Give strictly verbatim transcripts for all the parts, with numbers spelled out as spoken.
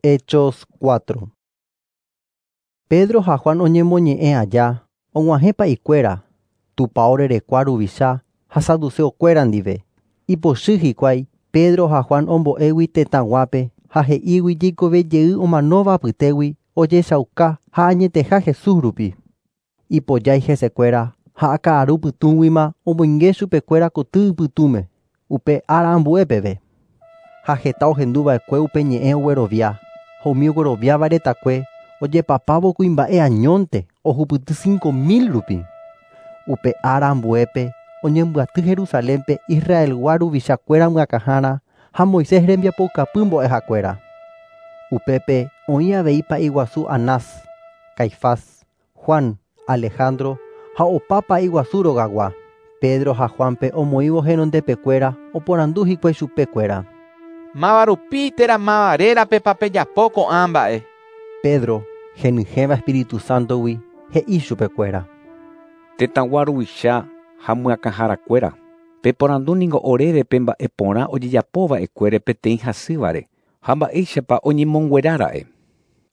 Hechos cuatro. Pedro ha Juan oñemoñe'ẽ aja, og̃uahẽ pa'ikuéra, tupão rerekua ruvicha ha saduceokuéra ndive. Ipochy hikuái Pedro ha Juan ombo'égui tetãguápe ha he'ígui jeikove jey omanóva apytégui ojechauka ha añeteha Jesús rupi. Ipojái hesekuéra ha aka'aru pytũguima omoinge chupekuéra koty ypytũme upe ára ambue peve. Ha heta ohenduva'ekue upe ñe'ẽ oguerovia ha umi ogueroviáva retakue ojepapávo kuimba'e añónte ohupyty cinco mil rupi. Upe ára ambuépe oñembyaty Jerusalénpe Israelgua ruvichakuéra myakãhára ha Moisés rembiapoukapy mbo'ehakuéra. Upépe oĩ avei pa'i guasu Anás, Caifás, Juan, Alejandro ha opa pa'i guasu rogagua. Pedro ha Juanpe omoĩvo henondepekuéra oporandu hikuái chupekuéra. Máva rupi térã máva rérapepa pejapo ko'ã mba'e. Pedro, henyhẽva Espíritu Santogui, he'i chupekuéra. Tetãgua ruvicha ha myakãharakuéra. Peporandu ningo oréve mba'e porã ojejapova'ekuére peteĩ hasývare ha mba'éichapa oñemonguerára'e.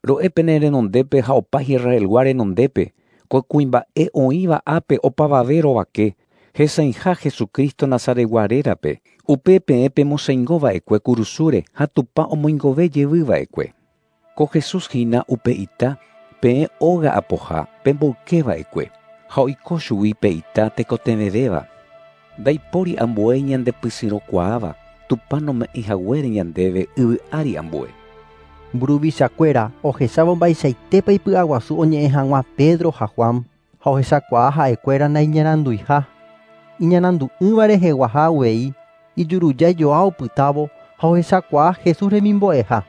Ro'e pene renondépe ha opa Israelgua renondépe ko kuimba'e oĩva ápe opavave rovake hesãiha Jesucristo Nazaretgua rérape upe peẽ pemosãingova'ekue kurusúre ha Tupã omoingove jevyva'ekue. Ko Jesús hína upe ita peẽ óga apoha pemboykeva'ekue ha oiko chugui pe ita tekotevẽvéva. Ndaipóri ambue ñandepysyrõkuaáva Tupã nome'ẽhaguére ñandéve yvy ári ambue. Mburuvichakuéra ohechávo mba'eichaitépa ipy'aguasu oñe'ẽ hag̃ua Pedro ha Juan ha ohechakuaa ha'ekuéra naiñaranduiha. Iñarandu'ỹva reheguaha uvei ijuruja joa opytávo ha ohechakuaa Jesús remimbo'eha.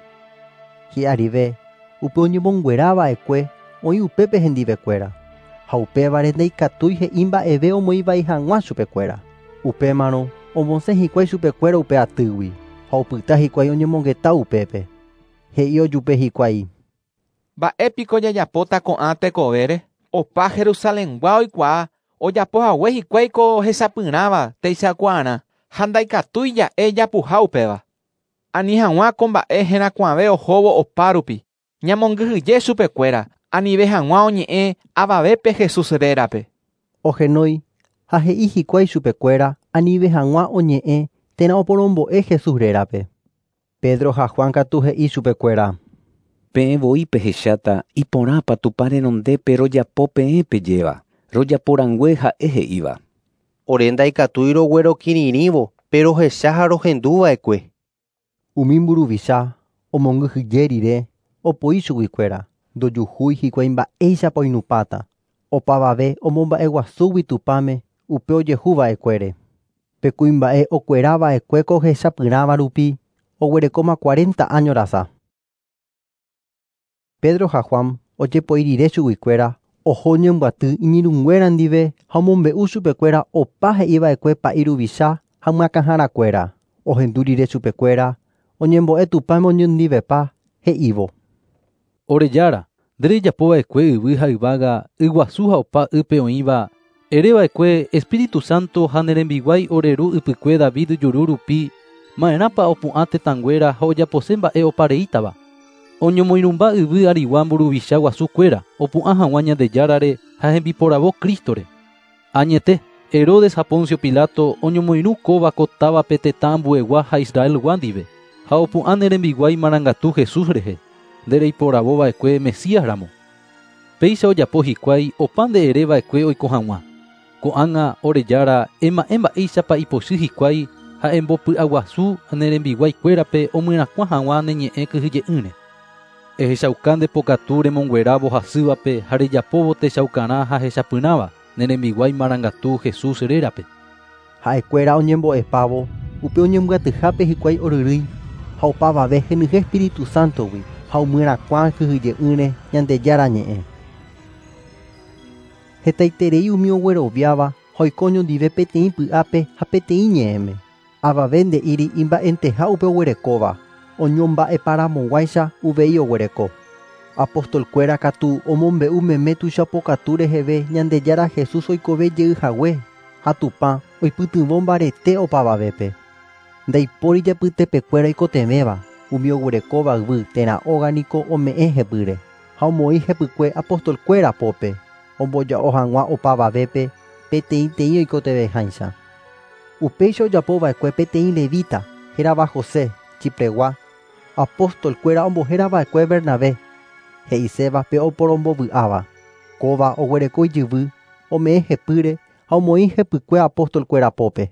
Hi'arive upe oñemonguerava'ekue oĩ upépe hendivekuéra ha upévare ndaikatúi he'i mba'eve omoĩvai hag̃ua chupekuéra. Upémarõ omosẽ hikuái chupekuéra upe atýgui ha opyta hikuái oñemongeta upépe. He'i ojupe hikuái. Mba'épiko jajapóta ko'ã tekovére? Opa Jerusalengua oikuaa ojapohague hikuái ko hesapyrãva teichakuaarã ha ndaikatúi ja'e japuha upéva. Ani hag̃ua ko mba'e herakuãve ohóvo opárupi. Ñamongyhyje chupekuéra anive hag̃ua oñe'ẽ avavépe Jesús rérape. Ohenói ha he'i hikuái chupekuéra anive hag̃ua oñe'ẽ térã oporombo'e Jesús rérape. Pedro ha Juan katu he'i chupekuéra. Peẽ voi pehecháta iporãpa Tupã renondépe rojapo peẽ pejéva. Rojaporangue ha'e he'íva. Ore ndaikatúi roguerokirirĩvo pe rohecha ha rohenduva'ekue. Umi mburuvicha omongyhyje rire opoi chuguikuéra ndojuhúi hikuái mba'éichapa oinupãta. Opavave omomba'eguasúgui Tupãme upe ojehuva'ekuére. Pe kuimba'e okuerava'ekue ko hechapyrãva rupi oguerekóma cuarenta año rasa. Pedro ha Juan ojepoi rire chuguikuéra oho oñembyaty iñirũnguéra ndive ha omombe'u chupekuéra opa he'iva'ekue pa'i ruvicha ha myakãharakuéra. Ohendu rire chupekuéra oñembo'e Tupãme oñondivepa he'ívo. Orejára, nderejapova'ekue yvy ha yvága yguasu ha opa ýpe oĩva ereva'ekue Espíritu Santo ha nerembiguái oreru ypykue David juru rupi ma'erãpa opu'ã tetãnguéra ha ojapose mba'e opareítava. Oñomoirũmba yvy arigua mburuvicha guasukuéra opu'ã hag̃ua Ñandejárare ha hembiporavo Cristore. Añete, Herodes ha Poncio Pilato oñomoirũ kóva ko távape tetã ambuegua ha Israelgua ndive ha opu'ã nerembiguái marangatu Jesús rehe ndereiporavova'ekue Mesías ramo. Péicha ojapo hikuái opa nde'ereva'ekue oiko hag̃ua. Ko'ág̃a orejára ema'ẽ mba'éichapa ipochy hikuái ha embopy'aguasu nerembiguaikuérape omyrakuã hag̃ua ne ñe'ẽ kyhyje'ỹre. Ehechauka ndepokatu remonguerávo hasývape ha rejapóvo techaukarã ha hechapyrãva nerembiguái marangatu Jesús rérape. Ha'ekuéra oñembo'epávo upe oñembyatyhápe hikuái oryrýi ha opavave henyhẽ Espíritu Santogui ha omyrakuã kyhyje'ỹre Ñandejára ñe'ẽ. Hetaiterei umi ogueroviáva ha oiko oñondive peteĩ py'ápe ha peteĩ ñe'ẽme. Avave nde'íri imba'enteha upe oguerekóva oñomba'eparamoguáicha uvei oguereko. Apostolkuéra katu omombe'u meme tuichapokatu reheve Ñandejára Jesús oikove jeyhague ha Tupã oipytyvõ mbarete opavavépe. Ndaipóri japytepekuéra oikotevẽva. Umi oguerekóva yvy térã óga niko ome'ẽ hepýre ha omoĩ hepykue apostolkuéra pópe omboja'o hag̃ua opavavépe peteĩteĩ oikotevẽháicha. Upéicha ojapova'ekue peteĩ levita hérava José Chipregua apostolkuéra ombohérava'ekue Bernabé he'iséva pe oporombovy'áva. Kóva oguereko ijyvy ome'ẽ hepýre ha omoĩ hepykue apostolkuéra pópe.